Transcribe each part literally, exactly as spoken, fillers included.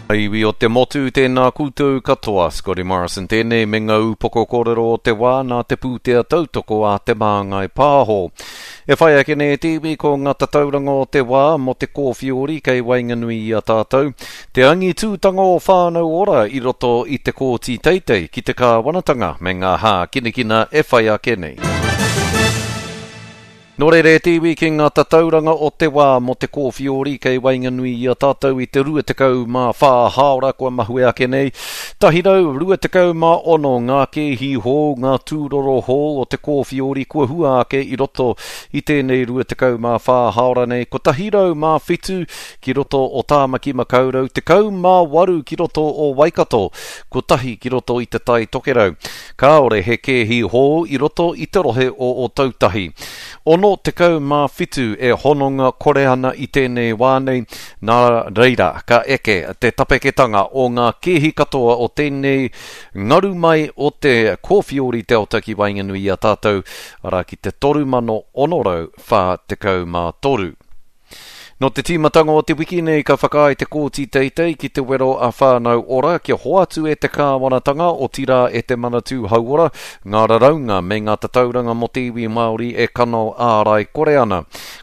Iwi o te motu, tēnā koutou katoa. Scotty Morrison tēnei me ngā upoko kōrero o te wā nā te pūtea tautoko a Te Māngai Pāho. E whai ake nei te iwi ko ngā tatauranga o te wā mō te kōwhiori kei waenganui i a tātou. Te angitūtanga o Whānau Ora i roto i te kōti teitei ki te kāwanatanga me ngā hākinakina e whai ake nei. Nō reira e te iwi ki ngā tatauranga o te wā mō te kōwhiori kei waenganui i a tātou i te rua tekau mā whā hāora kua mahue ake nei. Tahi rau, rua tekau mā ono ngā kēhi hou, ngā tūroro hou o te kōwhiori kua hua ake i roto i tēnei rua tekau mā whā hāora nei. Kotahi rau mā whitu ki roto o Tāmaki Makaurau, tekau mā waru ki roto o Waikato, kotahi ki roto i te Tai Tokerau. Kāore he kēhi hou i roto i te rohe o Ōtautahi. Ono tekau mā whitu e hononga kore ana i tēnei wā nei, nā reira ka eke te tapeketanga o ngā kēhi katoa o tēnei ngaru mai o te kōwhiori Delta ki waenganui i a tātou, arā ki te toru mano ono rau whā tekau mā toru. Nō te tīmatanga o te wiki nei ka whakaae te kōti teitei ki te wero a Whānau Ora kia hoatu e te kāwanatanga otirā e te Manatū Hauora ngā raraunga me ngā tatauranga mō te iwi Māori e kano ārai kore ana.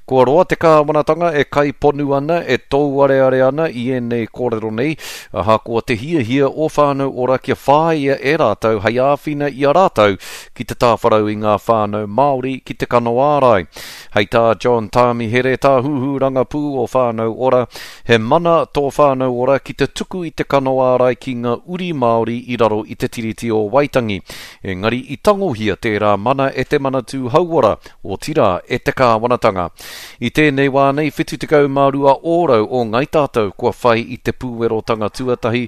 Kua roa te kāwanatanga e kaiponu ana, e tōuareare ana i ēnei kōrero nei, ahakoa te hiahia o Whānau Ora kia whāia e rātou hei āwhina i a rātou ki te tāwharau i ngā whānau Māori ki te kano ārai. Hei tā John Tāmihere, tāhuhu rangapū o Whānau Ora, he mana tō Whānau Ora ki te tuku i te kano ārai ki ngā uri Māori i raro i te Tiriti o Waitangi. Engari i tangohia tērā mana e te Manatū Hauora, otirā e te kāwanatanga. I tēnei wā nei, whitu tekau mā rua ōrau o Ngai Tātou kua whai i te pūwerotanga tuatahi,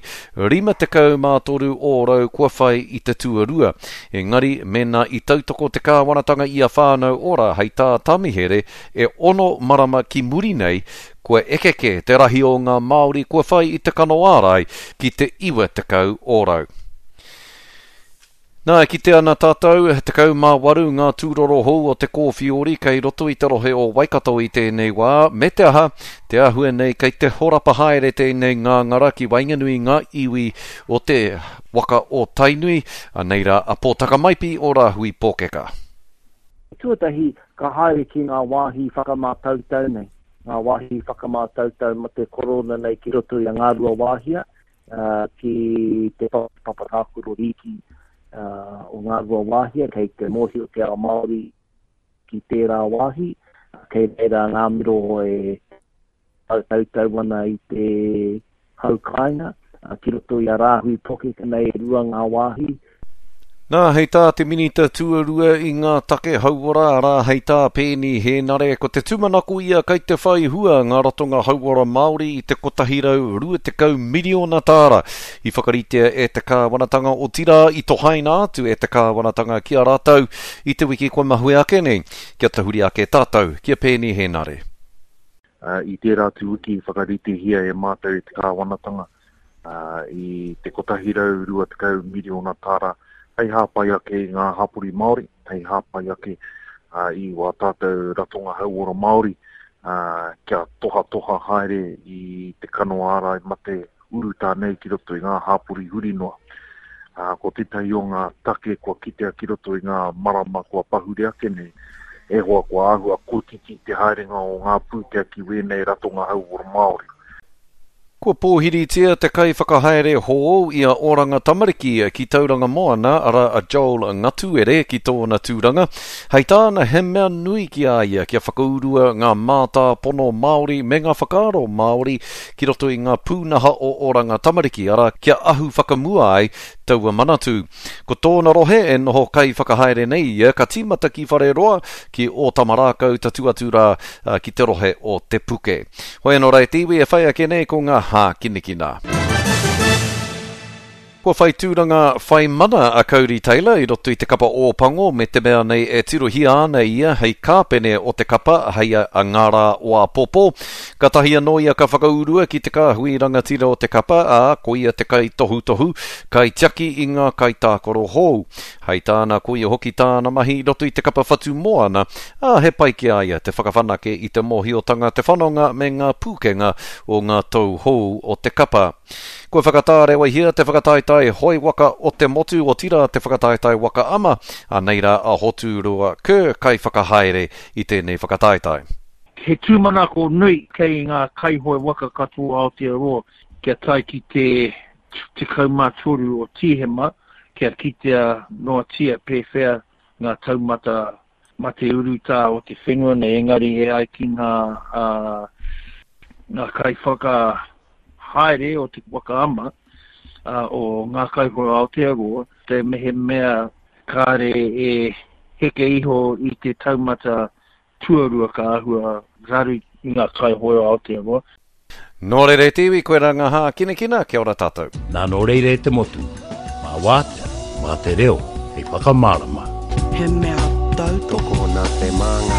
rima tekau mā toru ōrau kua whai i te tuarua. Engari, mēnā i tautoko te kāwanatanga i a Whānau Ora hei tā Tamihere e ono marama ki muri nei, kua ekeke te rahi o ngā Māori kua whai i te kano ārai ki te iwa tekau ōrau. Nā, e kite ana tātou, tekau mā waru ngā tūroro hou o te kōwhiori kei roto i te rohe o Waikato i tēnei wā, me te aha, te āhua nei kei te horapa haere tēnei ngāngara ki waenganui ngā iwi o te waka o Tainui, anei rā a Pōtaka Maipi o Rāhui Pōkeka. Tuatahi, ka haere ki ngā wāhi whakamātautau nei, ngā wāhi whakamātautau ma te korona nei ki roto i a Ngāruawāhia, ki te papa tākaro rīki o Ngāruawāhia, kei te mōhio te ao Māori ki tērā wāhi, kei reira ngā miro e tautau ana i te hau kāinga, ki roto i a Rāhui Pōkeka nei e rua ngā wāhi. Nā, hei tā te minita tuarua i ngā take hauora, arā hei tā Peeni Hēnare, ko te tūmanako ia kei te whai hua ngā ratonga hauora Māori i te kotahi rau rua tekau miriona tāra i whakaritea e te kāwanatanga otirā i tohaina atu e te kāwanatanga ki a rātou i te wiki kua mahue ake nei. Kia tahuri ake tātou ki a Peeni Hēnare. I tērā atu wiki i whakaritehia e mātou i te kāwanatanga i te kotahi rau rua tekau miriona tāra hei hāpai ake i ngā hapori Māori, hei hāpai ake i wā tātou ratonga hauora Māori, kia tohatoha haere i te kano ārai mate urutā nei ki roto i ngā hapori huri noa. Ko tētahi o ngā take kua kitea ki roto i ngā marama kua pahure ake nei, e hoa kua āhua kotiti te haerenga o ngā pūtea ki wēnei ratonga hauora Māori. Kua pōhiritia te kaiwhakahaere hou i a Oranga Tamariki ki Tauranga Moana, arā a Joel Ngatuere ki tōna tūranga. Hei tāna he mea nui ki a ia kia whakaurua ngā mātāpono Māori me ngā whakaaro Māori ki roto i ngā pūnaha o Oranga Tamariki, arā kia ahu whakamua ai taua manatū. Ko tōna rohe e noho kaiwhakahaere nei ia, ka tīmata ki Whareroa, ki Ōtamarākau tatu atu rā ki te rohe o Te Puke. Hoi anō rā e te iwi e whai ake nei ko ngā hākinakina. Kua whai tūranga whai mana a Cody Taylor i roto i te kapa Ōpango me te mea nei e tirohia ana ia hei kāpene o te kapa hei a ngā rā o āpōpō. Kātahi anō ia ka whakaurua ki te kāhui rangatira o te kapa, ā, ko ia te kaitohutohu, kaitiaki i ngā kaitākaro hou. Hei tāna, ko ia hoki tāna mahi i roto i te kapa whatu moana, ā, he pai ki a ia te whakawhanake i te mōhiotanga, te whanonga me ngā pūkenga o ngā tau hou o te kapa. Kua whakatārewahia te whakataetae hoe waka o te motu, otirā te whakataetae waka ama, anei rā a Hoturoa Kerr kaiwhakahaere i tēnei whakataetae. He tūmanako nui kei ngā kaihoe waka katoa Aotearoa kia tae ki te tekau mā toru o Tīhema, kia kitea noatia pēwhea ngā taumata mate urutā o te whenua nei, engari e ai ki ngā, uh, ngā kaiwhakahaere o te waka ama, uh, o ngā kaihoe Aotearoa, te mehemea kāre e heke iho i te taumata tuarua ka āhua raru i ngā kaihoe Aotearoa. Nō reira e te iwi, koe rā ngā hākinakina, kia ora tātou. Nā nō reira e te motu, mā wātea, mā te reo, hei whakamārama. He mea tautoko. Tokona te māngai.